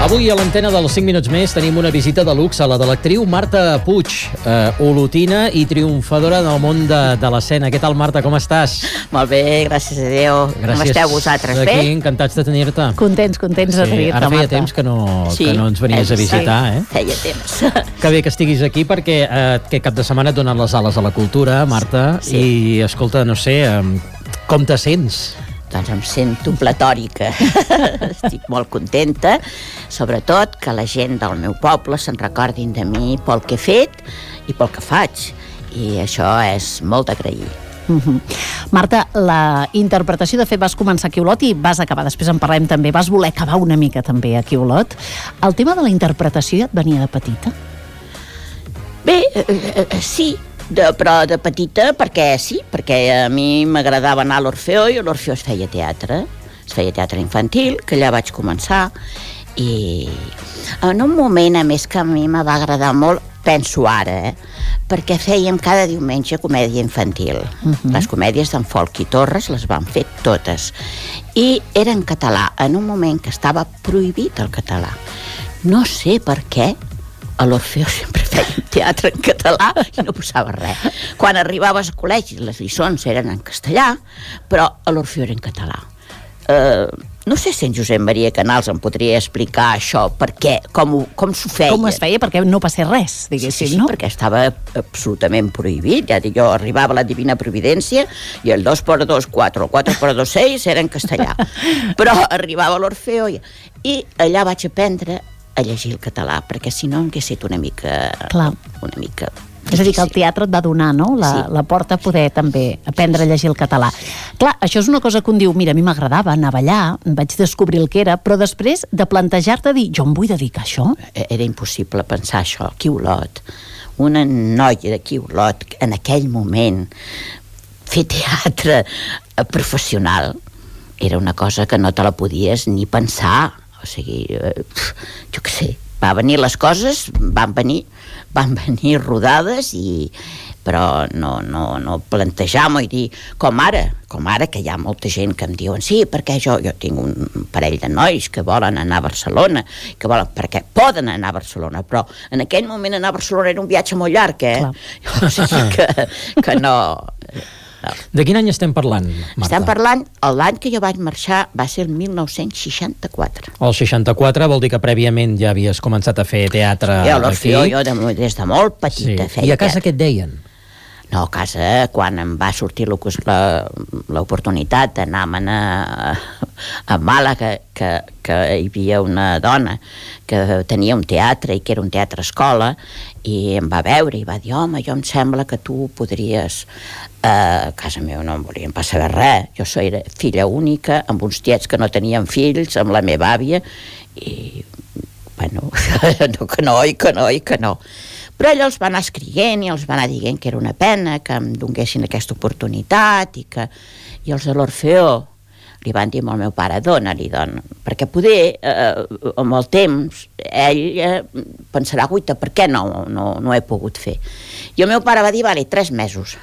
Avui a l'antena dels 5 minuts més tenim una visita de luxe, la de l'actriu Marta Puig, olotina i triomfadora del món de l'escena. Què tal, Marta, com estàs? Molt bé, gràcies a Déu. Com esteu vosaltres, bé? Aquí, encantats de tenir-te. Contents de tenir-te, Ara feia Marta. temps que no ens venies a visitar, eh? Feia temps. Que bé que estiguis aquí perquè aquest cap de setmana et donen les ales a la cultura, Marta, i escolta, no sé, com te sents? Doncs em sento platòrica. Estic molt contenta, sobretot que la gent del meu poble se'n recordin de mi pel que he fet i pel que faig. I això és molt d'agrair. Marta, la interpretació, de fet, vas començar aquí a Olot i vas acabar, després en parlem també, vas voler acabar una mica també aquí a Olot. El tema de la interpretació ja et venia de petita? Bé, sí, però de petita, perquè a mi m'agradava anar a l'Orfeó i a l'Orfeó es feia teatre infantil, que allà vaig començar, i en un moment, a més, que a mi me va agradar molt, penso ara, perquè fèiem cada diumenge comèdia infantil. Les comèdies d'en Folch i Torres les van fer totes, i era en català, en un moment que estava prohibit el català. No sé per què, a l'Orfeó sempre fèiem teatre en català i no passava res. Quan arribaves al col·legi les lliçons eren en castellà, però a l'Orfeó era en català. No sé si en Josep Maria Canals em podria explicar això, per què, com s'ho feia. Com es feia, perquè no passés res, diguéssim, sí, no? Perquè estava absolutament prohibit. Ja dic, jo arribava a la Divina Providència i el 2x2, 4, el 4x2, 6 era en castellà. Però arribava a l'Orfeó i allà vaig aprendre a llegir el català, perquè si no hauria estat una mica és a dir, que el teatre et va donar, no?, la porta a poder també aprendre a llegir el català. Clar, això és una cosa que un diu, mira, a mi m'agradava anar a ballar, vaig descobrir el que era, però després de plantejar-te dir, jo em vull dedicar a això? Era impossible pensar això. Aquí a Olot, una noia d'aquí a Olot, en aquell moment, fer teatre professional era una cosa que no te la podies ni pensar. O sigui, jo què sé, les coses van venir rodades, però no plantejar-m'ho i dir, com ara que hi ha molta gent que em diuen, sí, perquè jo tinc un parell de nois que volen anar a Barcelona, perquè poden anar a Barcelona, però en aquell moment anar a Barcelona era un viatge molt llarg, o sigui que no... De quin any estem parlant, Marta? Estem parlant, l'any que jo vaig marxar va ser el 1964. El 64 vol dir que prèviament ja havies començat a fer teatre aquí? A l'Orfeó, jo des de molt petita feia. I a casa què et deien? No, a casa, quan em va sortir l'oportunitat d'anar a Màlaga, que hi havia una dona que tenia un teatre i que era un teatre escola, i em va veure i va dir, home, jo em sembla que tu podries... A casa meva no em volien pas saber res. Jo era filla única, amb uns tiets que no tenien fills, amb la meva àvia, i, bueno, que no. Però ella els va anar escrivint i els va anar dient que era una pena que em donguessin aquesta oportunitat i els de l'Orfeó li van dir al meu pare, dona-li, perquè poder, amb el temps, ell pensarà, guaita, per què no he pogut fer? I el meu pare va dir, vale, 3 mesos,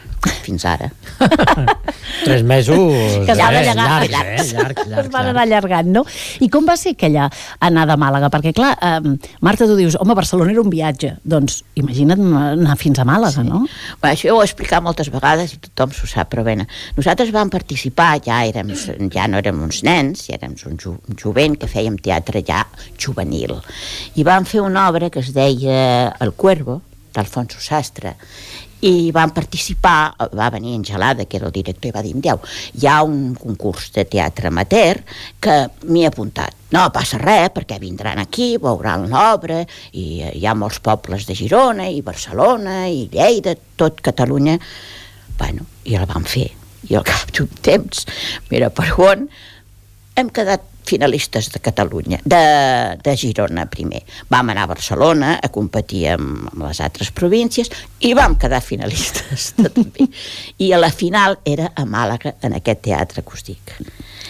fins ara. 3 mesos... Que s'ha d'allargar. Llargs. Es van anar allargant, no? I com va ser aquella anada a Màlaga? Perquè, clar, Marta, tu dius, home, Barcelona era un viatge. Doncs imagina't anar fins a Màlaga, no? Bé, això ho he explicat moltes vegades i tothom s'ho sap, però bé, nosaltres vam participar, ja no érem uns nens, ja érem un jovent que fèiem teatre ja juvenil. I vam fer una obra que es deia El Cuervo, d'Alfonso Sastre, i van participar, va venir Angelada, que era el director, i va dir, hi ha un concurs de teatre amateur que m'hi he apuntat. No passa res, perquè vindran aquí, veuran l'obra, i hi ha molts pobles de Girona, i Barcelona, i Lleida, tot Catalunya. Bueno, i el vam fer. I al cap d'un temps, mira per on, hem quedat finalistes de Catalunya, de Girona primer. Vam anar a Barcelona a competir amb les altres províncies i vam quedar finalistes també. I a la final era a Màlaga, en aquest teatre que us dic.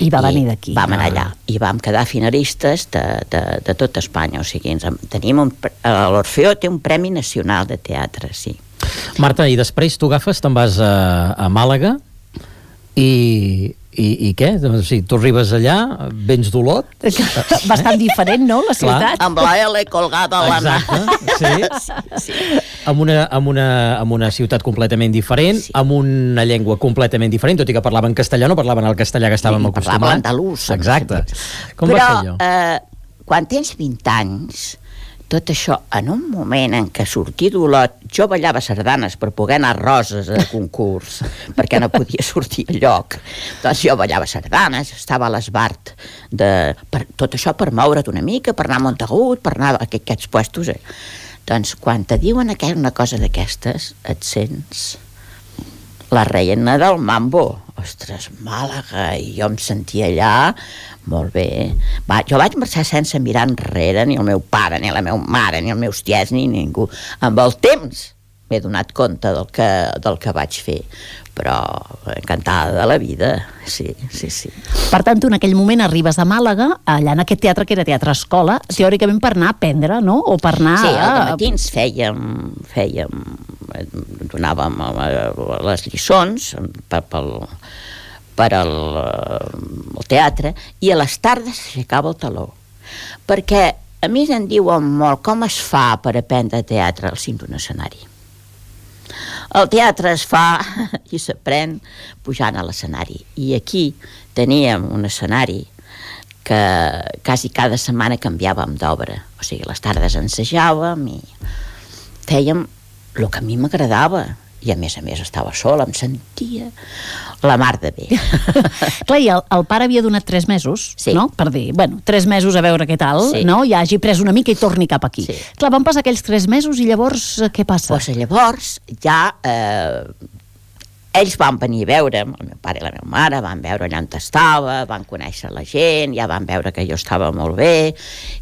I va venir d'aquí. Vam anar allà i vam quedar finalistes de tot Espanya. O sigui, l'Orfeó té un Premi Nacional de Teatre, sí. Marta, i després tu agafes, te'n vas a Màlaga i I què? O sigui, tu arribes allà, vens d'Olot... Bastant diferent, no, la ciutat? Amb la L colgada a la mà. Exacte, sí. Amb una ciutat completament diferent, amb una llengua completament diferent, tot i que parlaven castellà, no parlaven el castellà que estàvem acostumats. Parlaven andalús. Exacte. Com va ser allò? Però, quan tens 20 anys, tot això, en un moment en què sortir d'Olot, jo ballava sardanes per poder anar a Roses a concurs, perquè no podia sortir a lloc. Doncs jo ballava sardanes, estava a l'Esbart, tot això per moure't una mica, per anar a Montagut, per anar a aquests puestos. Doncs quan te diuen una cosa d'aquestes, et sents la reina del mambo. Ostres, Màlaga, i jo em sentia allà molt bé. Jo vaig marxar sense mirar enrere, ni el meu pare, ni la meva mare, ni els meus tiets, ni ningú. Amb el temps m'he donat compte del que vaig fer, però encantada de la vida, sí. Per tant, tu en aquell moment arribes a Màlaga, allà en aquest teatre que era teatre escola, teòricament per anar a aprendre, no? O per anar... Sí, al matins donàvem les lliçons per al teatre, i a les tardes s'aixecava el teló, perquè a mi em diuen molt com es fa per aprendre teatre al cim d'un escenari. El teatre es fa i s'aprèn pujant a l'escenari, i aquí teníem un escenari que quasi cada setmana canviàvem d'obra, o sigui, les tardes ensajàvem i fèiem el que a mi m'agradava, i a més estava sola, em sentia la mar de bé. Clar, i el pare havia donat 3 mesos, sí, no? Per dir, 3 mesos a veure què tal, sí, no? Ja hagi pres una mica i torni cap aquí. Sí. Clar, van passar aquells 3 mesos i llavors què passa? Doncs llavors ja ells van venir a veure'm, el meu pare i la meva mare van veure allà on estava, van conèixer la gent, ja van veure que jo estava molt bé,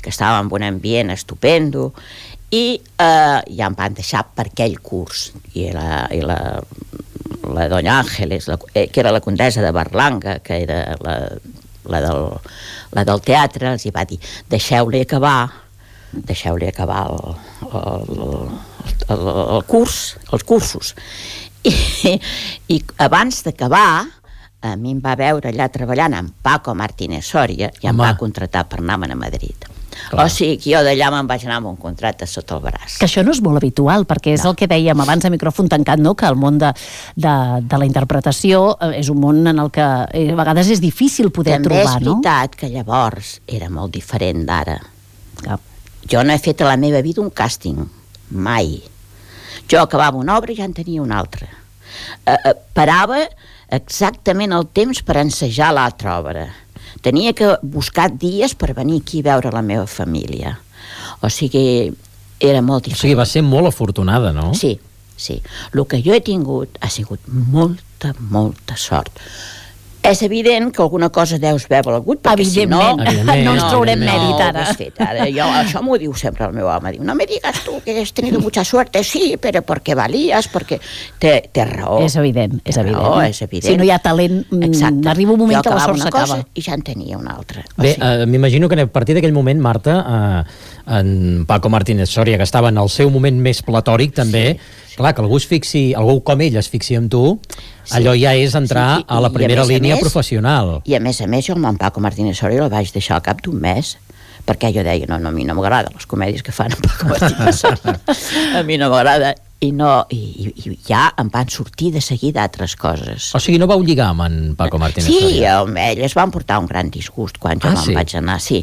que estava en un ambient estupendo, i ja em van deixar per aquell curs, i la doña Ángeles, que era la condessa de Berlanga, que era la del teatre, els hi va dir, deixeu-li acabar el curs, els cursos. I abans d'acabar, a mi em va veure allà treballant amb Paco Martínez Soria i em va contractar per anar-me'n a Madrid. Clar. O sigui que jo d'allà me'n vaig anar amb un contracte sota el braç. Que això no és molt habitual, perquè és el que dèiem abans a micròfon tancat, no? Que el món de la interpretació és un món en el que a vegades és difícil poder trobar, no? També és veritat que llavors era molt diferent d'ara. Jo no he fet a la meva vida un càsting, mai. Jo acabava una obra i ja en tenia una altra. Parava exactament el temps per ensejar l'altra obra. Tenia que buscar dies per venir aquí a veure la meva família. O sigui, era molt diferent. O sigui, va ser molt afortunada, no? Sí. El que jo he tingut ha sigut molta sort. És evident que alguna cosa deus haver valgut, perquè si no ens traurem mèrit ara. Això m'ho diu sempre el meu home, diu, no me digas tú que has tenido mucha suerte, sí, però perquè valies, perquè té raó. És evident. Si no hi ha talent, arriba un moment que la sort s'acaba. I ja en tenia una altra. Bé, m'imagino que a partir d'aquell moment, Marta, en Paco Martínez Soria, que estava en el seu moment més platòric, també, clar, que algú com ell es fixi en tu, allò ja és entrar a la primera línia professional. I a més, jo amb en Paco Martínez Soria el vaig deixar al cap d'un mes, perquè jo deia, no, a mi no m'agrada les comèdies que fan en Paco Martínez Soria. A mi no m'agrada. I ja em van sortir de seguida altres coses. O sigui, no vau lligar amb en Paco Martínez Soria? Sí, ell es van portar un gran disgust quan jo me'n vaig anar, sí.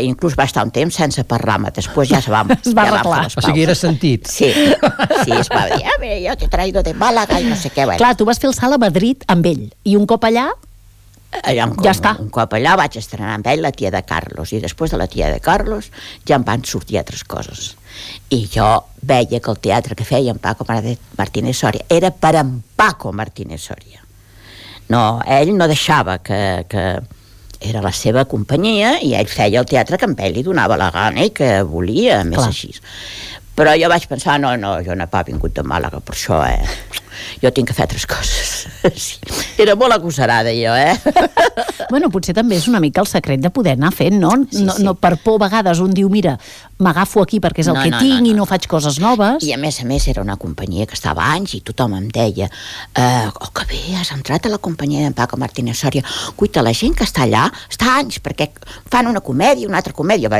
Inclús va estar un temps sense parlar-me, després ja es va arreglar. O sigui, era sentit. Sí, es va dir, jo t'he traído de Màlaga i no sé què. Clar, tu vas fer el salt a Madrid amb ell, i un cop allà... Ja està. Un cop allà vaig estrenar amb ell La tia de Carlos, i després de La tia de Carlos ja em van sortir altres coses. I jo veia que el teatre que feia en Paco Martínez Soria era per en Paco Martínez Soria. No, ell no deixava que era la seva companyia, i ell feia el teatre que a ell li donava la gana i que volia, més així. Però jo vaig pensar, no, jo no he pas vingut de Màlaga per això, jo tinc que fer altres coses. Sí. Era molt agosarada, jo, Bueno, potser també és una mica el secret de poder anar fent, no? No per por, a vegades un diu, mira, m'agafo aquí perquè és el que tinc i no faig coses noves. I a més era una companyia que estava anys i tothom em deia que bé, has entrat a la companyia d'en Paco Martínez Soria. Guaita, la gent que està allà està anys perquè fan una comèdia, una altra comèdia.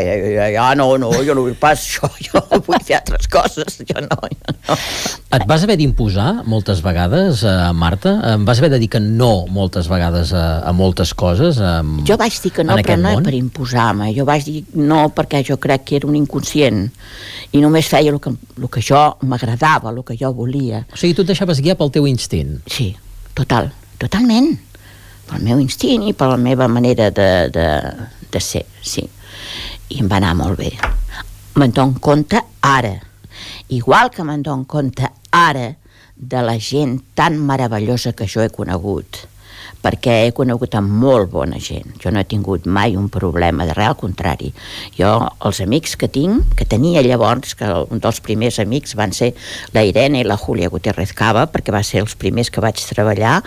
No, jo no vull pas això, jo vull fer altres coses, jo no. Et vas haver d'imposar moltes vegades, Marta? Em vas haver de dir que no moltes vegades a moltes coses? Jo vaig dir que no, però no per imposar-me. Jo vaig dir no perquè jo crec que era un inconscient i només feia el que jo m'agradava, el que jo volia. O sigui, tu et deixaves guiar pel teu instint? Sí, totalment. Pel meu instint i per la meva manera de ser, sí. I em va anar molt bé. Me'n dono compte ara, igual que me'n dono compte ara de la gent tan meravellosa que jo he conegut, perquè he conegut amb molt bona gent. Jo no he tingut mai un problema de res, al contrari. Jo, els amics que tinc, que tenia llavors, que un dels primers amics van ser la Irene i la Júlia Gutiérrez Cava, perquè va ser els primers que vaig treballar.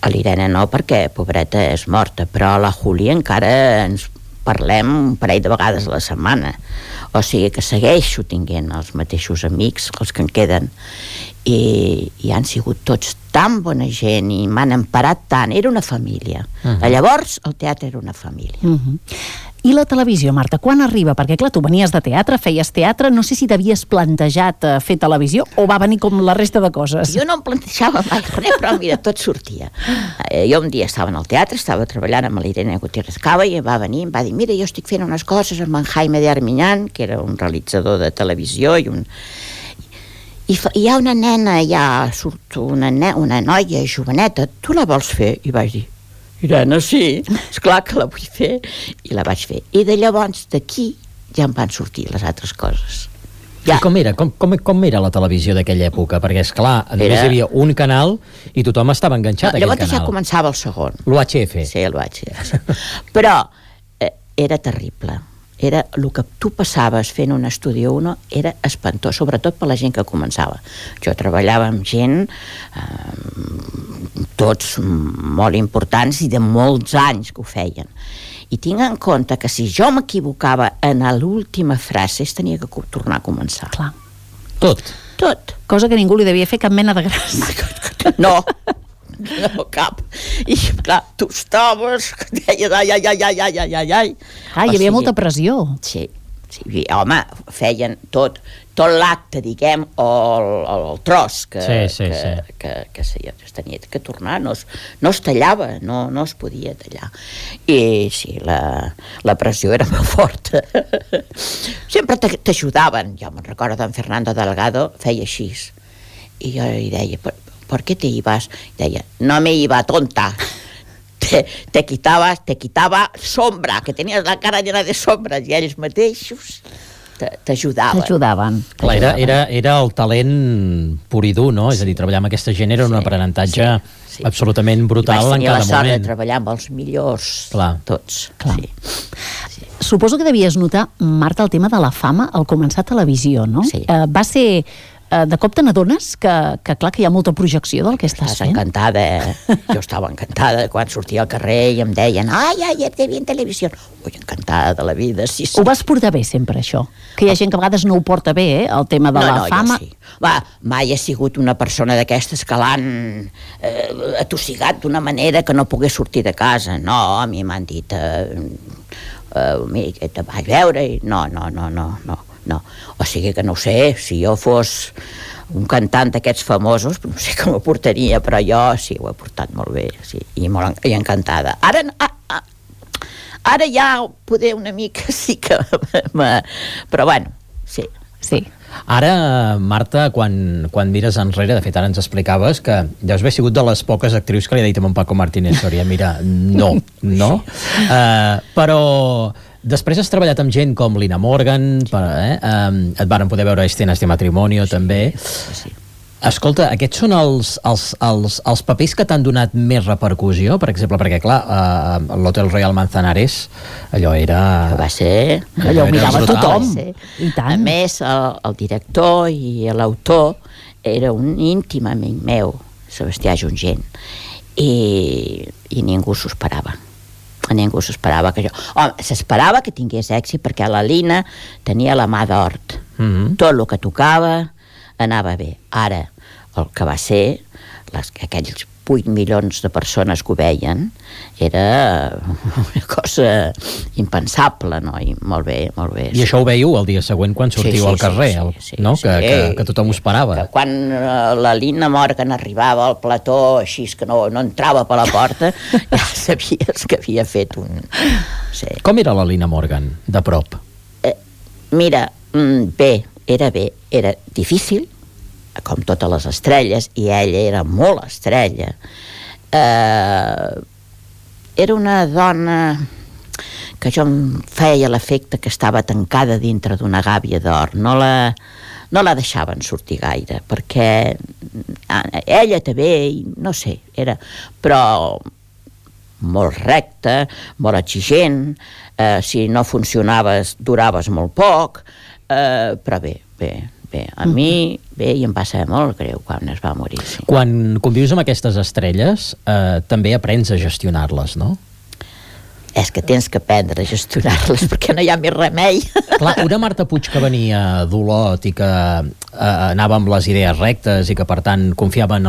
A l'Irene no, perquè pobreta és morta, però a la Júlia encara ens parlem un parell de vegades a la setmana. O sigui que segueixo tinguent els mateixos amics, els que en queden, i han sigut tots tan bona gent i m'han emparat tant. Era una família. Llavors el teatre era una família. I la televisió, Marta, quan arriba? Perquè clar, tu venies de teatre, feies teatre, no sé si t'havies plantejat fer televisió o va venir com la resta de coses. Jo no em plantejava mai res, però mira, tot sortia. Jo un dia estava en el teatre, estava treballant amb l'Irene Gutiérrez Cava i va venir i em va dir, mira, jo estic fent unes coses amb en Jaime de Armiñán, que era un realitzador de televisió i hi ha una nena, surt una noia joveneta, tu la vols fer? I vaig dir, Irene, sí, esclar que la vull fer, i la vaig fer. I de llavors d'aquí ja em van sortir les altres coses. I com era? Com era la televisió d'aquella època? Perquè, esclar, només hi havia un canal i tothom estava enganxat a aquell canal. Llavors ja començava el segon. L'UHF. Sí, l'UHF. Però era terrible. Era el que tu passaves fent un estudi 1 era espantós, sobretot per la gent que començava. Jo treballava amb gent tots molt importants i de molts anys que ho feien. I tinc en compte que si jo m'equivocava en l'última frase tenia que tornar a començar. Clar. Tot. Cosa que ningú li devia fer cap mena de gràcia. No, cap. I clar, tu estaves que deies ai. Hi havia molta pressió. Sí, home, feien tot l'acte, diguem, o el tros que es tenia que tornar, no es tallava, no es podia tallar. I sí, la pressió era molt forta. Sempre t'ajudaven. Jo me'n recordo d'en Fernando Delgado, feia així. I jo li deia, ¿por qué te ibas? Deia, no me iba, tonta. Te quitaba sombra, que tenies la cara llena de sombres, i ells mateixos t'ajudaven. Clar, era el talent pur i dur, no? És a dir, treballar amb aquesta gent era un aprenentatge absolutament brutal en cada moment. I vaig tenir la sort de treballar amb els millors, tots. Suposo que devies notar, Marta, el tema de la fama al començar a televisió, no? Sí. Va ser... De cop te n'adones que clar que hi ha molta projecció del que estàs fent? Encantada, jo estava encantada quan sortia al carrer i em deien ai, te vi en televisió. Ui, encantada de la vida, sí. Ho vas portar bé sempre, això? Que hi ha gent que a vegades no ho porta bé, el tema de la fama. Jo sí. Mai he sigut una persona d'aquestes que l'han atossigat d'una manera que no pogués sortir de casa. No, a mi m'han dit mira, te vaig veure i no. O sigui que no ho sé, si jo fos un cantant d'aquests famosos, no sé com ho portaria, però jo sí, ho he portat molt bé, sí, i encantada. Ara ja poder una mica sí que... Però bueno, sí. Ara, Marta, quan mires enrere, de fet ara ens explicaves que deus haver sigut de les poques actrius que li ha dit a en Paco Martínez Soria, mira, no? Però després has treballat amb gent com Lina Morgan, et varen poder veure a Escenas de Matrimonio també. Sí. Escolta, aquests són els papers que t'han donat més repercussió, per exemple, perquè clar, l'Hotel Royal Manzanares, allò era... Va ser... Allò ho mirava tothom. I tant. A més, el director i l'autor era un íntim amic meu, Sebastià Jungent, i ningú s'ho esperava. Ningú s'esperava que jo... Home, s'esperava que tingués èxit perquè la Lina tenia la mà d'hort. Tot el que tocava anava bé. Ara, el que va ser, aquells 8 milions de persones que ho veien, era una cosa impensable, no? I molt bé, molt bé. I això ho veieu el dia següent quan sortiu al carrer, no? Que tothom ho esperava. Que quan la Lina Morgan arribava al plató, així que no entrava per la porta, ja sabies que havia fet un... Sí. Com era la Lina Morgan, de prop? Mira, era difícil, com totes les estrelles, i ella era molt estrella. Era una dona que jo em feia l'efecte que estava tancada dintre d'una gàbia d'or. No la deixaven sortir gaire, perquè ella també, no sé, era... Però molt recta, molt exigent, si no funcionaves duraves molt poc, però bé, a mi, i em va saber molt greu quan es va morir. Sí. Quan convius amb aquestes estrelles, també aprens a gestionar-les, no? És que tens que aprendre a gestionar-les perquè no hi ha més remei. Clar, una Marta Puig que venia d'Olot i que anava amb les idees rectes i que, per tant, confiava en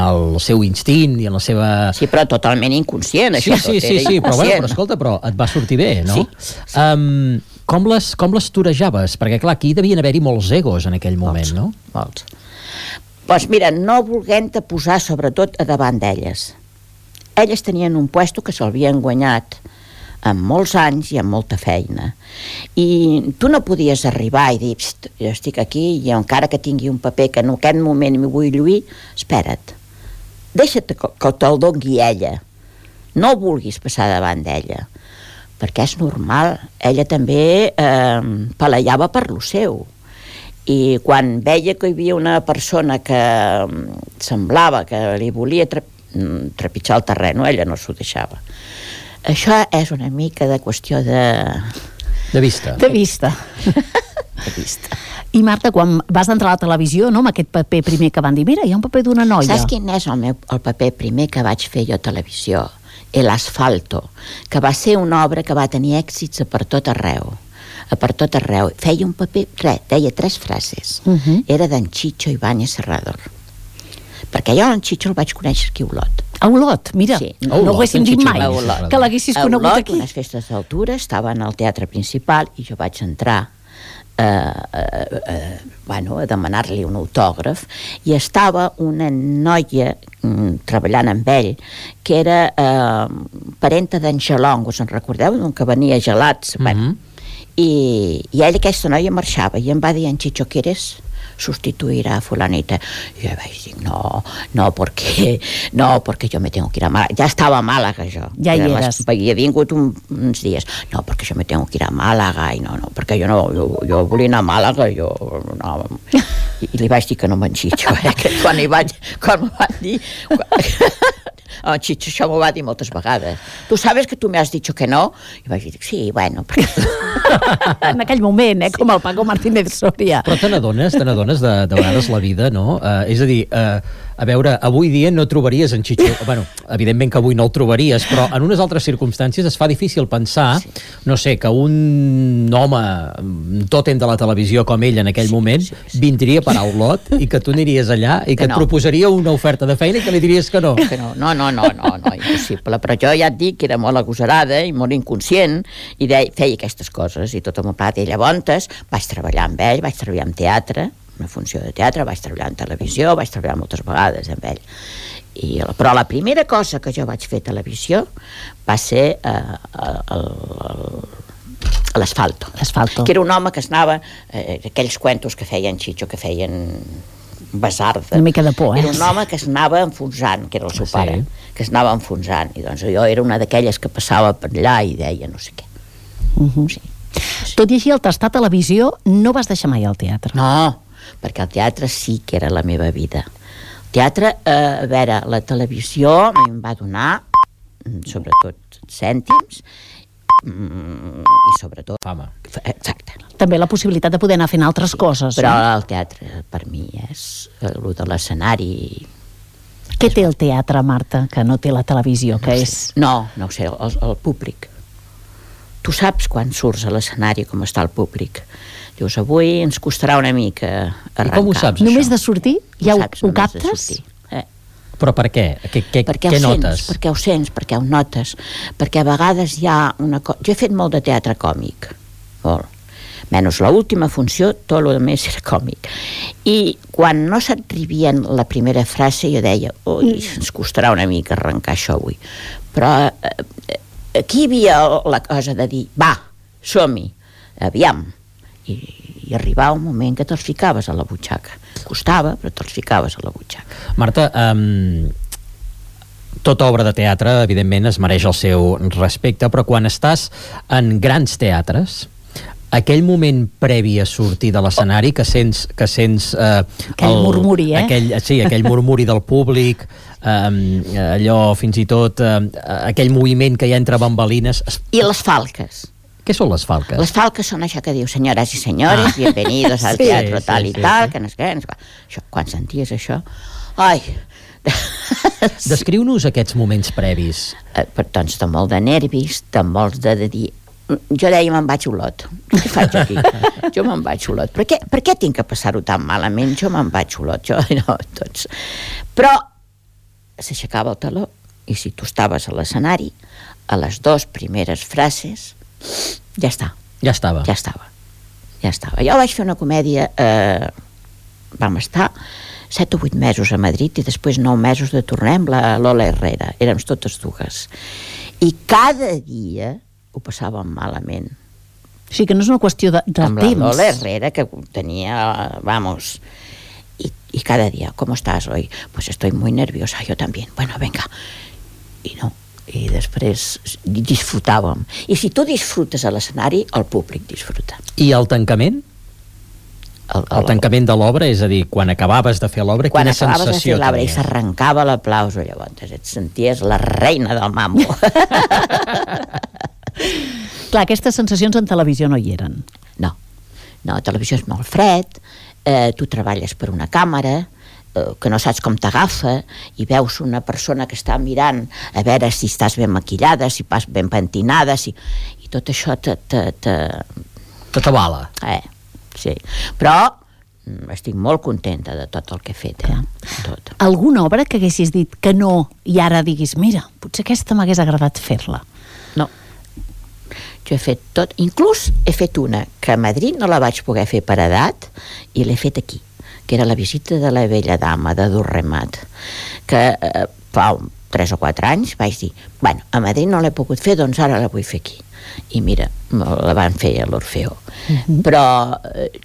el seu instint i en la seva... Sí, però totalment inconscient, això. Sí, però escolta, però et va sortir bé, no? Sí. Com les torejaves? Perquè, clar, aquí devien haver-hi molts egos en aquell moment, no? Molts. Doncs mira, no volent-te posar sobretot a davant d'elles. Elles tenien un puesto que s'havien guanyat amb molts anys i amb molta feina. I tu no podies arribar i dir, jo estic aquí i encara que tingui un paper que en aquest moment m'hi vull lluir, espera't, deixa't que te'l doni ella. No vulguis passar davant d'ella, perquè és normal. Ella també palejava per lo seu. I quan veia que hi havia una persona que semblava que li volia trepitjar el terreny, ella no s'ho deixava. Això és una mica de qüestió de vista. De vista. De vista. I Marta, quan vas entrar a la televisió, no, amb aquest paper primer que van dir, mira, hi ha un paper d'una noia. Saps quin és el paper primer que vaig fer jo a televisió? El Asfalto, que va ser una obra que va tenir èxits per tot arreu. Per tot arreu. Feia un paper, deia 3 frases. Era d'en Chicho Ibáñez Serrador. Perquè jo en Chicho el vaig conèixer aquí a Olot. A Olot, mira, sí. No ho haguéssim dit mai, que l'haguessis conegut aquí. A Olot, unes festes d'altura, estava en el teatre principal i jo vaig entrar a demanar-li un autògraf i estava una noia treballant amb ell que era parenta d'en Gelong, us en recordeu? Que venia gelats. I ella, aquesta noia, marxava i em va dir, en Chicho, ¿qué eres? Sustituir a fulanita. Y yo no, porque yo me tengo que ir a Málaga. Ya estaba a Málaga yo. Ja hi eres. Havia vingut uns dies. No, porque yo me tengo que ir a Málaga. I no, perquè jo volia anar a Málaga. I li vaig dir que no me'n Chicho, que quan m'ho van dir... El Chicho això m'ho va dir moltes vegades. Tu sabes que tu me has dicho que no? I vaig dir, sí, bueno... En aquell moment, com el Paco Martínez Soria. Però te n'adones de vegades la vida, no? És a dir, a veure, avui dia no trobaries en Chicho... Bueno, evidentment que avui no el trobaries, però en unes altres circumstàncies es fa difícil pensar, no sé, que un home tòtem de la televisió com ell en aquell moment vindria per a Olot i que tu aniries allà i que et proposaria una oferta de feina i que li diries que no. Que no, impossible. Però jo ja et dic que era molt agosarada i molt inconscient i feia aquestes coses i tot el meu plat. I llavors vaig treballar amb ell, vaig treballar en teatre, una funció de teatre, vaig treballar en televisió, vaig treballar moltes vegades amb ell. Però la primera cosa que jo vaig fer a televisió va ser l'Asfalto. Que era un home que es anava, aquells cuentos que feien Chicho, que feien basarda. Una mica de por, Era un home que es anava enfonsant, que era el seu pare, que es anava enfonsant. I doncs jo era una d'aquelles que passava per allà i deia no sé què. Sí. Tot i així, al tastar televisió, no vas deixar mai el teatre. No, perquè el teatre sí que era la meva vida. El teatre, a veure, la televisió em va donar, sobretot, cèntims, i sobretot fama. Exacte. També la possibilitat de poder anar fent altres coses. Però el teatre per mi és el de l'escenari Què té el teatre, Marta, que no té la televisió? Que és... No ho sé, el públic. Tu saps quan surts a l'escenari com està el públic. Dius, avui ens costarà una mica arrencar. I com ho saps, això? Només de sortir? Ja ho captes? Però per què? Què notes? Perquè ho sents, perquè ho notes. Perquè a vegades hi ha una cosa... Jo he fet molt de teatre còmic, molt. Menys l'última funció, tot el més era còmic. I quan no s'arribien la primera frase, jo deia, ui, ens costarà una mica arrencar això avui. Però aquí hi havia la cosa de dir, va, som-hi, aviam. I arribava un moment que te'ls ficaves a la butxaca. Costava, però te'ls ficaves a la butxaca. Marta, tota obra de teatre, evidentment, es mereix el seu respecte, però quan estàs en grans teatres, aquell moment previ a sortir de l'escenari que sents aquell murmuri, aquell murmuri del públic, allò fins i tot aquell moviment que hi ha entre bambalines. I les falques. Què són les falques? Les falques són això que diu senyores i senyores, bienvenidos al teatro tal i tal, que no és què, això, quan senties això, ai... Descriu-nos aquests moments previs. Doncs de molt de nervis, de molts de dir... Jo deia, me'n vaig Olot. Què faig aquí? Jo me'n vaig Olot. Per què tinc que passar-ho tan malament? Jo me'n vaig Olot. Però s'aixecava el teló i si tu estaves a l'escenari, a les 2 primeres frases, ja està. Ja estava. Jo vaig fer una comèdia, vam estar 7 o 8 mesos a Madrid i després 9 mesos de tornar amb la Lola Herrera. Érem totes dues. I cada dia ho passàvem malament. O sigui que no és una qüestió de temps. Amb la Lola Herrera, que tenia, vamos, y cada día, ¿cómo estás hoy? Pues estoy muy nerviosa, yo también. Bueno, venga. I no, i després disfrutàvem. I si tu disfrutes a l'escenari, el públic disfruta. I el tancament? El tancament de l'obra, és a dir, quan acabaves de fer l'obra, quina sensació tenies? Quan acabaves de fer l'obra i s'arrencava l'aplauso, llavors et senties la reina del mambo. Clar, aquestes sensacions en televisió no hi eren. No, televisió és molt fred, tu treballes per una càmera, que no saps com t'agafa, i veus una persona que està mirant a veure si estàs ben maquillada, si vas ben pentinada, i tot això t'avala. Sí, però estic molt contenta de tot el que he fet. Tot. Alguna obra que haguessis dit que no i ara diguis, mira, potser aquesta m'hagués agradat fer-la? No. Jo he fet tot, inclús he fet una que a Madrid no la vaig poder fer per edat i l'he fet aquí, que era La visita de la vella dama de Durremat, que fa 3 o 4 anys vaig dir, bueno, a Madrid no l'he pogut fer, doncs ara la vull fer aquí. I mira, la van fer a l'Orfeó. Però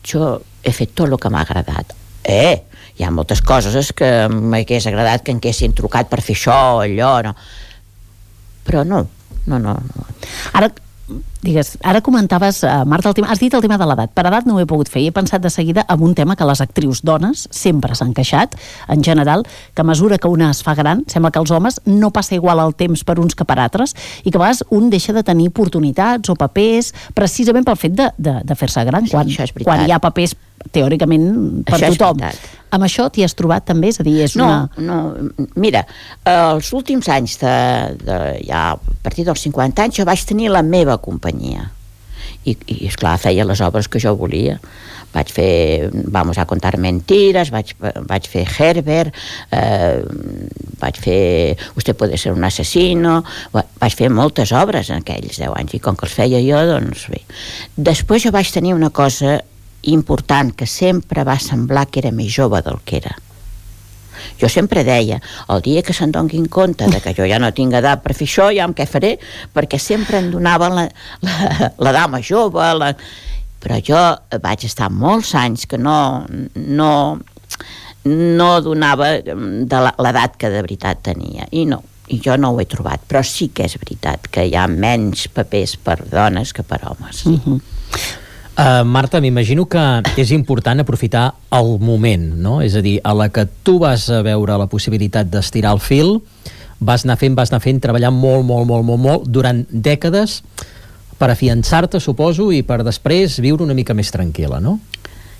jo he fet tot el que m'ha agradat. Hi ha moltes coses que m'hagués agradat que em haguessin trucat per fer això o allò, no. Però no. Ara comentaves, Marta, has dit el tema de l'edat. Per edat no ho he pogut fer i he pensat de seguida en un tema que les actrius dones sempre s'han queixat, en general, que a mesura que una es fa gran, sembla que els homes no passa igual el temps per uns que per altres i que a vegades un deixa de tenir oportunitats o papers precisament pel fet de fer-se gran, quan hi ha papers teòricament per tothom. Amb això t'hi has trobat també? És a dir, No, mira, els últims anys ja a partir dels 50 anys jo vaig tenir la meva companyia i esclar, feia les obres que jo volia. Vaig fer Vamos a contar mentiras, vaig fer Herbert, vaig fer Usted puede ser un asesino, vaig fer moltes obres en aquells 10 anys i com que els feia jo, doncs bé. Després jo vaig tenir una cosa important que sempre va semblar que era més jove del que era. Jo sempre deia, el dia que se'n donin compte de que jo ja no tinc edat per fer això, ja què faré, perquè sempre em donaven la dama jove, però jo vaig estar molts anys que no donava de l'edat que de veritat tenia, i jo no ho he trobat, però sí que és veritat que hi ha menys papers per dones que per homes. Marta, m'imagino que és important aprofitar el moment, no? És a dir, a la que tu vas a veure la possibilitat d'estirar el fil, vas anar fent, treballant molt durant dècades per afiançar-te, suposo, i per després viure una mica més tranquil·la, no?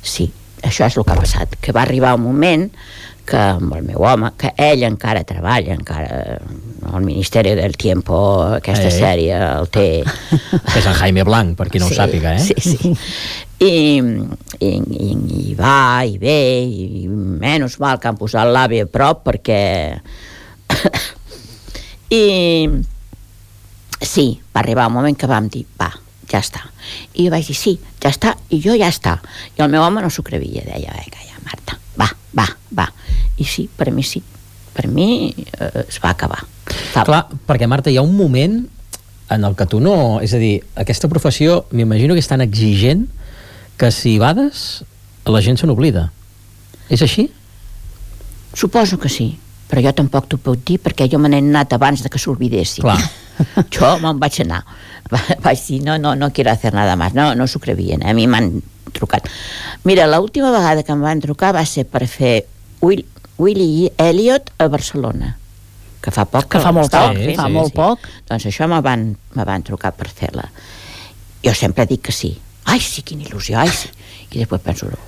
Sí, això és el que ha passat, que va arribar un moment que amb el meu home, que ell encara treballa, encara al Ministeri del Tiempo, aquesta sèrie el té... És en Jaime Blanc, per qui no ho sàpiga, eh? Sí. I va, i ve, i menys mal que han posat l'AVE a prop, perquè... I... Sí, va arribar un moment que vam dir, va, ja està. I jo vaig dir, sí, ja està, i jo ja està. I el meu home no s'ho crevia, deia, ja, Marta, va. I sí, per mi sí. Per mi es va acabar. Clar, perquè Marta, hi ha un moment en el que tu no... És a dir, aquesta professió m'imagino que és tan exigent que si bades la gent se n'oblida. És així? Suposo que sí, però jo tampoc t'ho puc dir perquè jo me n'he anat abans de que s'olvidessin. Clar. Jo me'n vaig anar. Vaig dir, no quiero hacer nada más. No s'ho crevien, a mi m'han trucat. Mira, l'última vegada que em van trucar va ser per fer Willy Elliot a Barcelona, que fa poc que fa molt poc. Doncs això me van trucar per fer-la. Jo sempre dic que sí. Ai, sí, quina il·lusió, ai, sí. I després penso, no.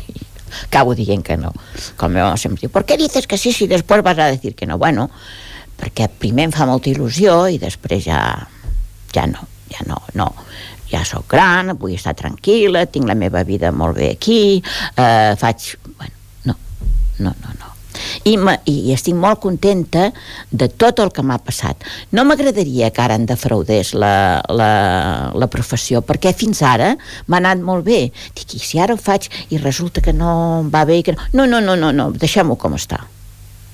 I acabo dient que no. Que el meu home sempre diu, ¿por qué dices que sí si después vas a decir que no? Bueno, perquè primer em fa molta il·lusió i després ja no. Ja sóc gran, vull estar tranquil·la, tinc la meva vida molt bé aquí, faig... Bueno, no. I estic molt contenta de tot el que m'ha passat. No m'agradaria que ara em defraudés la professió, perquè fins ara m'ha anat molt bé. Dic, i si ara ho faig i resulta que no em va bé... No, deixem-ho com està.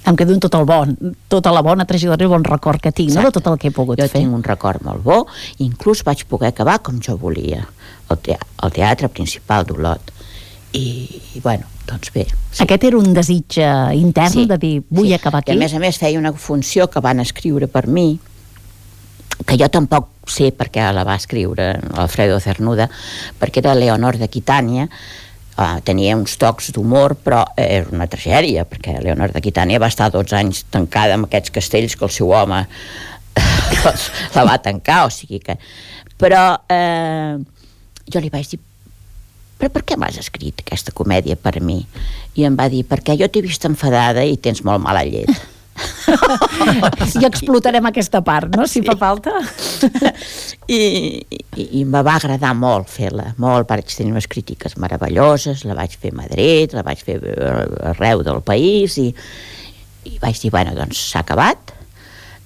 Em quedo amb tota la bona trajectòria i bon record que tinc, no? De tot el que he pogut fer. Jo tinc un record molt bo, inclús vaig poder acabar com jo volia, al teatre principal d'Olot. I bueno, doncs bé. Sí. Aquest era un desig intern de dir, vull acabar aquí. I a més feia una funció que van escriure per mi, que jo tampoc sé per què la va escriure Alfredo Cernuda, perquè era Leonor d'Aquitània. Tenia uns tocs d'humor, però era una tragèdia, perquè Leonor d'Aquitània va estar 12 anys tancada en aquests castells que el seu home la va tancar, o sigui que... Però jo li vaig dir, però per què m'has escrit aquesta comèdia per mi? I em va dir, perquè jo t'he vist enfadada i tens molt mala llet. I explotarem aquesta part, no? Si fa falta. I me va agradar molt fer-la, molt. Vaig tenir unes crítiques meravelloses, la vaig fer a Madrid, la vaig fer arreu del país i vaig dir, bueno, doncs s'ha acabat,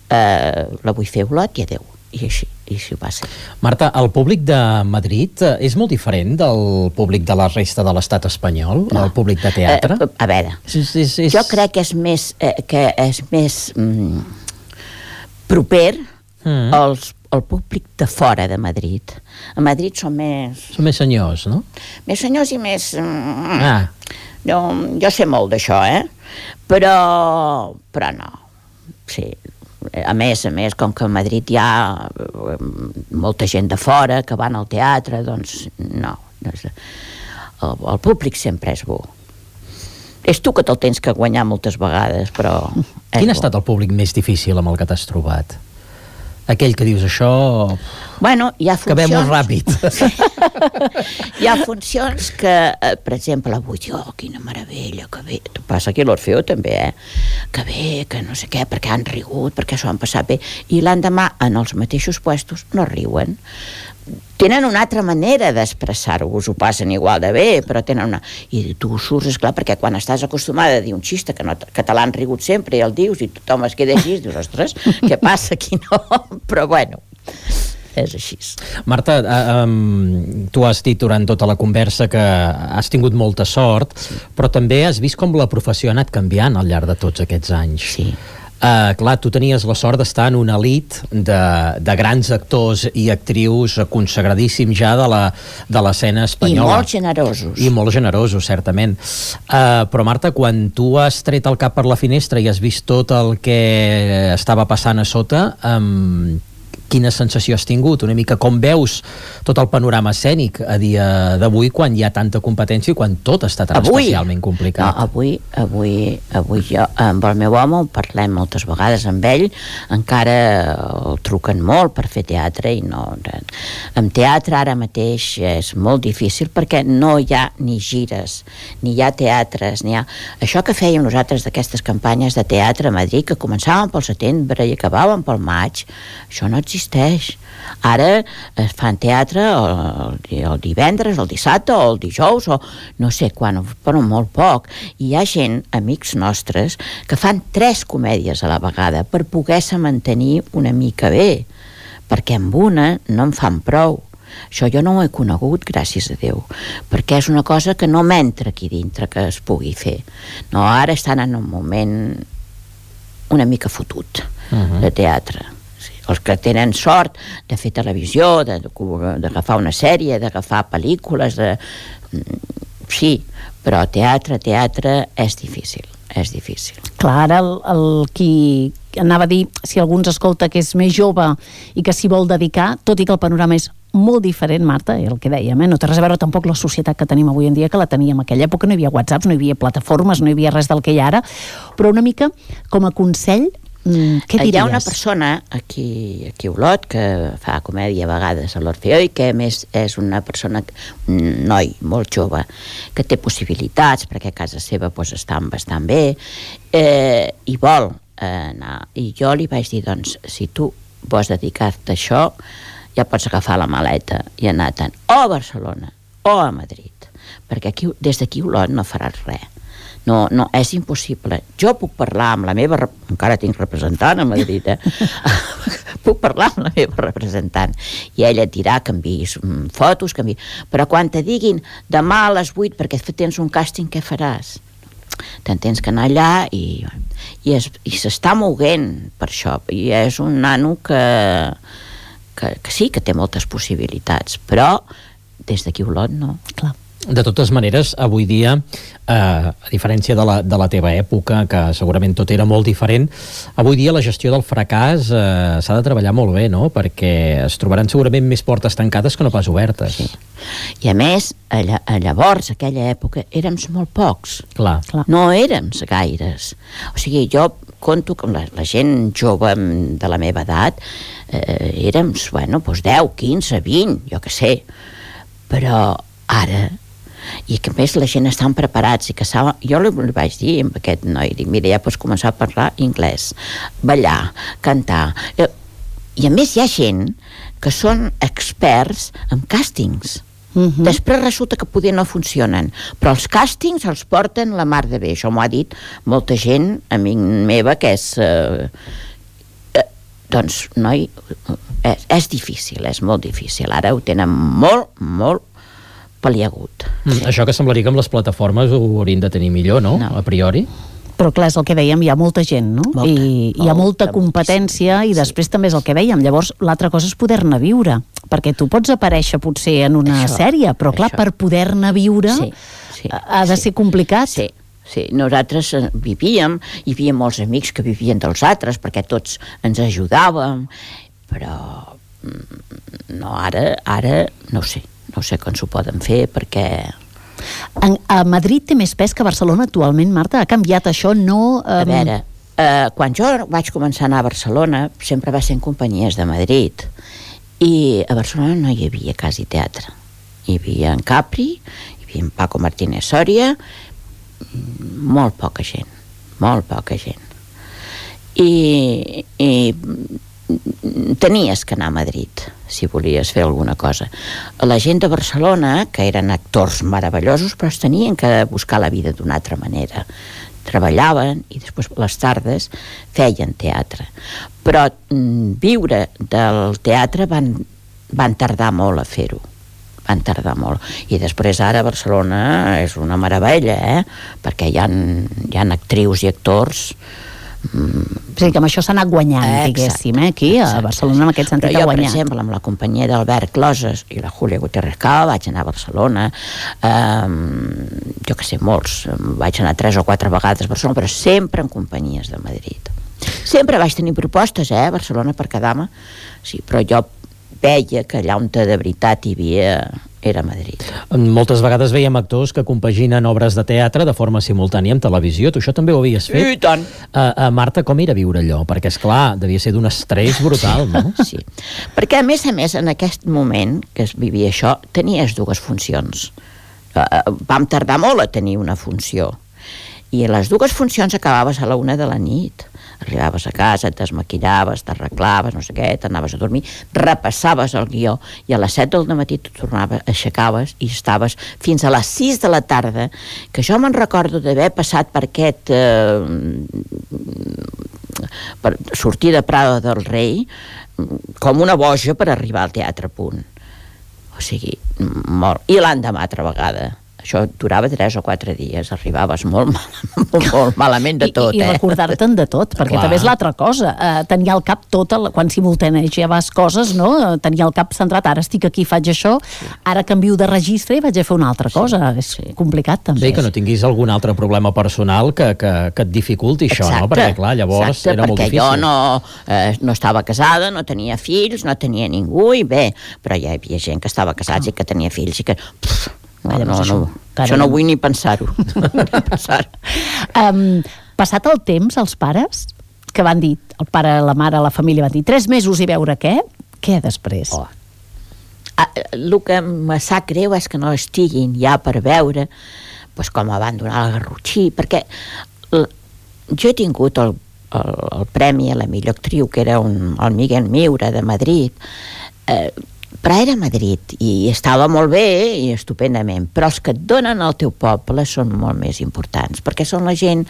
la vull fer a Olot i adeu. I així va ser. Marta, el públic de Madrid és molt diferent del públic de la resta de l'estat espanyol? No. El públic de teatre? A veure, jo crec que és més proper al públic de fora de Madrid. A Madrid són més... Són més senyors, no? Més senyors i més... Jo sé molt d'això, però no. Sí. A més, com que a Madrid hi ha molta gent de fora que van al teatre, doncs no. El públic sempre és bo. És tu que te'l tens que guanyar moltes vegades, però... Quin ha estat el públic més difícil amb el que t'has trobat? Aquell que dius això... Bueno, hi ha funcions... Que ve molt ràpid. Hi ha funcions que, per exemple, avui, quina meravella, que bé. Passa aquí a l'Orfeo també, que bé, que no sé què, perquè han rigut, perquè s'ho han passat bé. I l'endemà, en els mateixos puestos, no riuen. Tenen una altra manera d'expressar-ho, ho passen igual de bé, però tenen una... I tu surts, esclar, perquè quan estàs acostumada a dir un xiste que te l'han rigut sempre i el dius i tothom es queda així, dius, ostres, què passa aquí, no? Però bueno, és així. Marta, tu has dit durant tota la conversa que has tingut molta sort, però també has vist com la professió ha anat canviant al llarg de tots aquests anys. Sí. Clar, tu tenies la sort d'estar en una elit de grans actors i actrius consagradíssims ja de l'escena espanyola. I molt generosos, certament. Però Marta, quan tu has tret el cap per la finestra i has vist tot el que estava passant a sota, quina sensació has tingut, una mica com veus tot el panorama escènic a dia d'avui quan hi ha tanta competència i quan tot està tan especialment complicat. No, avui jo amb el meu home parlem moltes vegades amb ell, encara el truquen molt per fer teatre i no... En teatre ara mateix és molt difícil perquè no hi ha ni gires, ni hi ha teatres, ni hi ha... Això que fèiem nosaltres d'aquestes campanyes de teatre a Madrid, que començaven pel setembre i acabaven pel maig, això no existeix. Ara es fan teatre el divendres, el dissabte o el dijous o no sé quan, però molt poc. I hi ha gent, amics nostres, que fan 3 comèdies a la vegada per poder-se mantenir una mica bé, perquè amb una no en fan prou. Això jo no ho he conegut, gràcies a Déu, perquè és una cosa que no m'entra aquí dintre que es pugui fer. No, ara estan en un moment una mica fotut de teatre. Sí, els que tenen sort de fer televisió, d'agafar una sèrie, d'agafar pel·lícules, sí, però teatre és difícil. És difícil. Clar, ara el qui anava a dir, si algú ens escolta que és més jove i que s'hi vol dedicar, tot i que el panorama és molt diferent, Marta, el que dèiem, no té res a veure tampoc la societat que tenim avui en dia que la teníem en aquella època, no hi havia whatsapps, no hi havia plataformes, no hi havia res del que hi ha ara, però una mica com a consell, què diries? Hi ha una persona aquí a Olot que fa comèdia a vegades a l'Orfeó i que a més és una persona, un noi molt jove, que té possibilitats perquè a casa seva estan bastant bé i vol anar. I jo li vaig dir, doncs, si tu vols dedicar-te a això, ja pots agafar la maleta i anar tant o a Barcelona o a Madrid, perquè aquí, des d'aquí a Olot no faràs res. No, és impossible. Jo puc parlar amb la meva... Encara tinc representant a Madrid, puc parlar amb la meva representant i ella et dirà que enviïs fotos, però quan te diguin demà a les 8 perquè tens un càsting, què faràs? Te'n tens que anar allà i s'està moguent per això. I és un nano que sí, que té moltes possibilitats, però des d'aquí a Olot no. Clar. De totes maneres, avui dia, a diferència de la teva època, que segurament tot era molt diferent, avui dia la gestió del fracàs s'ha de treballar molt bé, no? Perquè es trobaran segurament més portes tancades que no pas obertes. Sí. I a més, llavors, aquella època, érem molt pocs. Clar. No érem gaires. O sigui, jo conto que la gent jove de la meva edat érem, 10, 15, 20, jo què sé. Però ara... I que a més la gent estan preparats i que saben... Jo li vaig dir a aquest noi, dic, mira, ja pots començar a parlar anglès, ballar, cantar... I a més hi ha gent que són experts en càstings. Després resulta que poder no funcionen, però els càstings els porten la mar de bé. Això m'ho ha dit molta gent, amic meva, que és... doncs, noi, és difícil, és molt difícil. Ara ho tenen molt, molt pal·liagut. Això que semblaria que amb les plataformes ho haurien de tenir millor, no? A priori. Però clar, és el que dèiem, hi ha molta gent, no? I hi ha molta competència i després també és el que dèiem. Llavors, l'altra cosa és poder-ne viure, perquè tu pots aparèixer potser en una sèrie, però clar, per poder-ne viure ha de ser complicat. Sí, nosaltres vivíem, hi havia molts amics que vivien dels altres, perquè tots ens ajudàvem, però no, ara no sé com s'ho poden fer, perquè... A Madrid té més pes que a Barcelona actualment, Marta? Ha canviat això? No... A veure, quan jo vaig començar a anar a Barcelona, sempre va ser en companyies de Madrid, i a Barcelona no hi havia quasi teatre. Hi havia en Capri, hi havia en Paco Martínez Soria, molt poca gent. I tenies que anar a Madrid si volies fer alguna cosa. La gent de Barcelona, que eren actors meravellosos, però es tenien que buscar la vida d'una altra manera. Treballaven i després les tardes feien teatre. Però viure del teatre van tardar molt a fer-ho. Van tardar molt. I després ara Barcelona és una meravella, perquè hi ha actrius i actors... O sigui que amb això s'ha anat guanyant, diguéssim, aquí a Barcelona en aquest sentit ha guanyat. Però jo, per exemple, amb la companyia d'Albert Closes i la Júlia Gutiérrez Cava vaig anar a Barcelona, jo que sé, molts, vaig anar 3 o 4 vegades a Barcelona, però sempre en companyies de Madrid. Sempre vaig tenir propostes, a Barcelona per quedar-me, sí, però jo veia que allà on de veritat hi havia era a Madrid. Moltes vegades veiem actors que compaginen obres de teatre de forma simultània amb televisió. Tu això també ho havies fet? I tant! Marta, com era viure allò? Perquè, esclar, devia ser d'un estrès brutal, no? Sí, perquè a més, en aquest moment que es vivia això, tenies dues funcions. Vam tardar molt a tenir una funció. I a les dues funcions acabaves a la 1 de la nit. Arribaves a casa, et desmaquillaves, t'arreglaves, no sé què, t'anaves a dormir, repassaves el guió i a les 7 del matí tu tornaves, aixecaves i estaves fins a les 6 de la tarda, que jo me'n recordo d'haver passat per aquest per sortir de Prado del Rei com una boja per arribar al Teatre Punt. O sigui, molt. I l'endemà altra vegada. Això durava 3 o 4 dies, arribaves molt malament de tot. I recordar-te'n de tot, perquè també és l'altra cosa. Tenir al cap tot, quan simultanejaves coses, no? Tenir al cap centrat, ara estic aquí, faig això, ara canvio de registre i vaig a fer una altra cosa. És complicat, també. Bé, que no tinguis algun altre problema personal que et dificulti això, no? Perquè, clar, llavors era molt difícil. Perquè jo no estava casada, no tenia fills, no tenia ningú, i bé, però hi havia gent que estava casats i que tenia fills i que... Això no vull ni pensar-ho. Passat el temps, els pares, que van dir, el pare, la mare, la família van dir 3 mesos i veure què després? El que me sap greu és que no estiguin ja per veure com van donar el Garrotxí, perquè jo he tingut el premi a la millor actriu, que era el Miguel Miura de Madrid, però era a Madrid i estava molt bé i estupendament, però els que et donen al teu poble són molt més importants, perquè són la gent,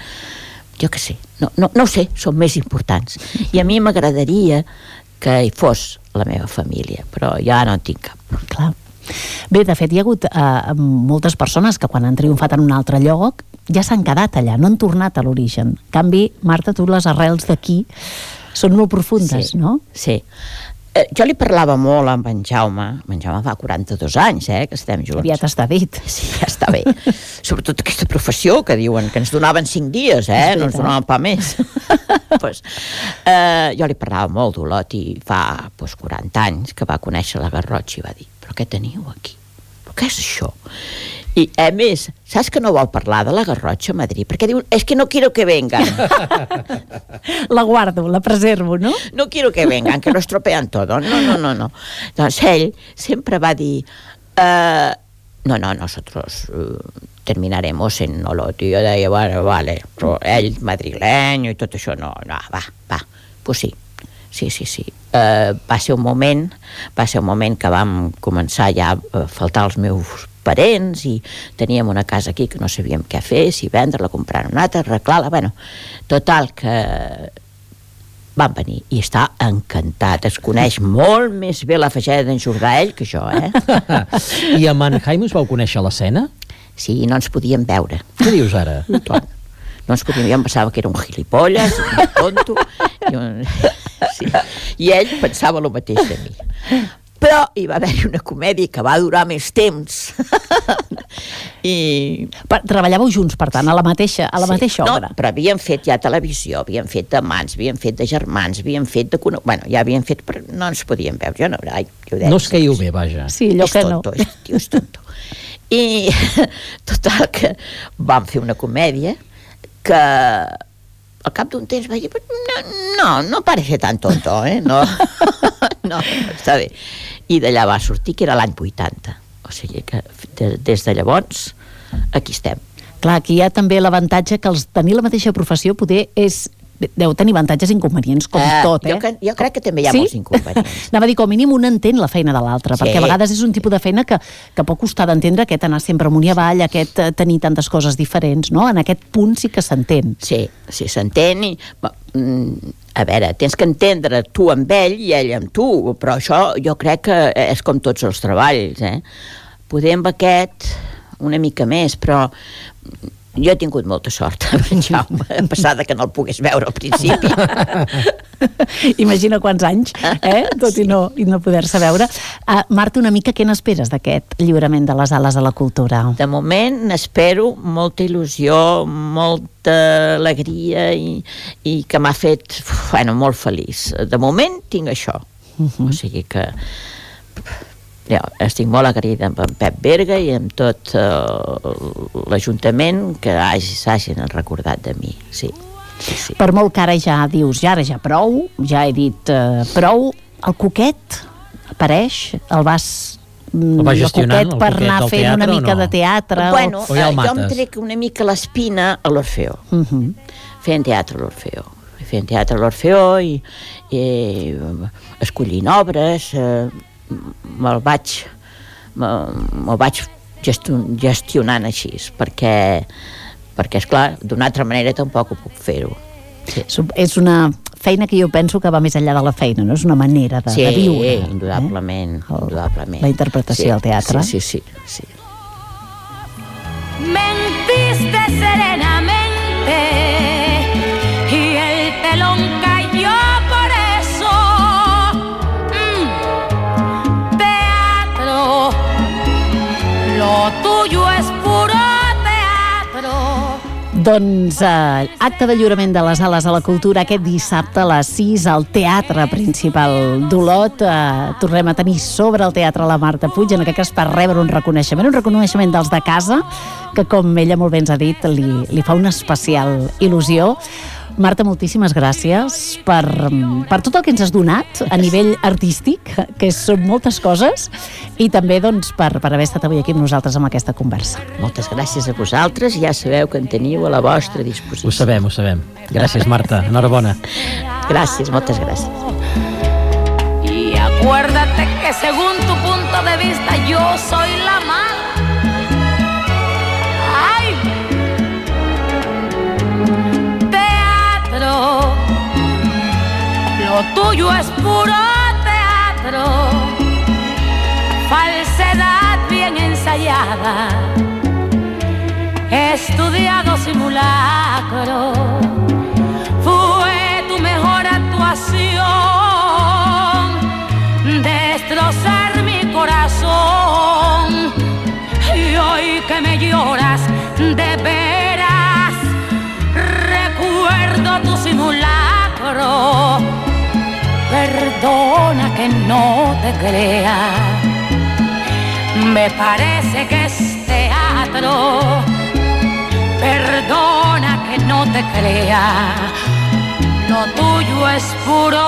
jo què sé, no ho sé, són més importants, i a mi m'agradaria que hi fos la meva família, però ja no en tinc cap. Clar. Bé, de fet, hi ha hagut moltes persones que quan han triomfat en un altre lloc ja s'han quedat allà, no han tornat a l'origen. En canvi, Marta, tu les arrels d'aquí són molt profundes, no? Sí. Jo li parlava molt amb en Jaume. En Jaume fa 42 anys, que estem junts. Aviat està dit. Sí, ja està bé. Sobretot aquesta professió que diuen que ens donaven 5 dies, no ens donaven pa més. Jo li parlava molt d'Olot i fa 40 anys que va conèixer la Garrotxa i va dir, però què teniu aquí? Però què és això? I, a més, saps que no vol parlar de la Garrotxa a Madrid? Perquè diu, és que no quiero que vengan. La guardo, la preservo, ¿no? No quiero que vengan, que lo estropean todo. No. Doncs ell sempre va dir, no, nosotros terminaremos en Olot. I jo deia, bueno, vale, però ell madrileny i tot això, no, va, pues sí. Sí. Va ser un moment que vam començar ja a faltar els meus parents i teníem una casa aquí que no sabíem què fer, si vendre-la, comprar una altra, arreglar-la, bueno, total que van venir i està encantat, es coneix molt més bé la fageda d'en Jordà ell que jo, I amb en Jaime us vau conèixer a l'escena? Sí, no ens podíem veure. Què dius ara? No ens podíem, jo em pensava que era un gilipolles, un tonto, i ell pensava el mateix de mi. Però hi va haver una comèdia que va durar més temps. Treballàveu junts, per tant, a la mateixa obra? No, però havíem fet ja televisió, havíem fet d'amants, havíem fet de germans, havíem fet de... Bueno, ja havíem fet, però no ens podíem veure. Jo no, no us queieu bé, vaja. Sí, allò que no. És tonto. I total que vam fer una comèdia que al cap d'un temps vaig dir, no parece tan tonto, no, està bé. I d'allà va sortir que era l'any 80, o sigui que des de llavors aquí estem. Clar, aquí hi ha també l'avantatge que tenir la mateixa professió poder deu tenir avantatges i inconvenients, com tot, Jo crec que també hi ha molts inconvenients. Anava a dir, com a mínim un entén la feina de l'altre, perquè a vegades és un tipus de feina que pot costar d'entendre, aquest anar sempre amunt i avall, aquest tenir tantes coses diferents, no? En aquest punt sí que s'entén. Sí, s'entén i... A veure, tens que entendre tu amb ell i ell amb tu, però això jo crec que és com tots els treballs, Poder amb aquest una mica més, però... Jo he tingut molta sort, Jaume, a passar que no el pogués veure al principi. Imagina quants anys, tot Sí. i no poder-se veure. Marta, una mica què n'esperes d'aquest lliurament de les ales a la cultura? De moment n'espero molta il·lusió, molta alegria i que m'ha fet molt feliç. De moment tinc això. O sigui que jo estic molt agraïda amb en Pep Berga i amb tot l'Ajuntament que s'hagin recordat de mi, sí. Per molt que ara ja dius, ara ja prou, ja he dit prou, el Cuquet apareix, el va gestionant, per anar fent una mica de teatre. Bueno, o ja el jo em mates? trec una mica l'espina a l'Orfeó. Feien teatre a l'Orfeó. Feien teatre a l'Orfeó i escollint obres, me'l vaig gestionant així, perquè esclar, d'una altra manera tampoc ho puc fer-ho. Sí. És una feina que jo penso que va més enllà de la feina, no? És una manera de viure. Sí, indudablement. La interpretació del teatre. Sí. Mentiste serenamente y el telón cayó por eso. Teatro, lo tuyo es puro teatro. Doncs acte de lliurament de les ales a la cultura aquest dissabte a les 6 al Teatre Principal d'Olot. Tornem a tenir sobre el teatre la Marta Puig, en aquest cas per rebre un reconeixement dels de casa, que com ella molt bé ens ha dit, li fa una especial il·lusió. Marta, moltíssimes gràcies per tot el que ens has donat a nivell artístic, que són moltes coses, i també doncs, per haver estat avui aquí amb nosaltres amb aquesta conversa. Moltes gràcies a vosaltres, ja sabeu que en teniu a la vostra disposició. Ho sabem. Gràcies, Marta. Enhorabona. Gràcies, moltes gràcies. Y acuérdate que según tu punto de vista yo soy la mala. ¡Ay! Teatro, lo tuyo es puro teatro, falsedad bien ensayada, estudiado simulacro. Fue tu mejor actuación, destrozar mi corazón. Y hoy que me lloras de veras, recuerdo tu simulacro. Perdona que no te crea, me parece que es teatro. Perdona que no te crea, lo tuyo es puro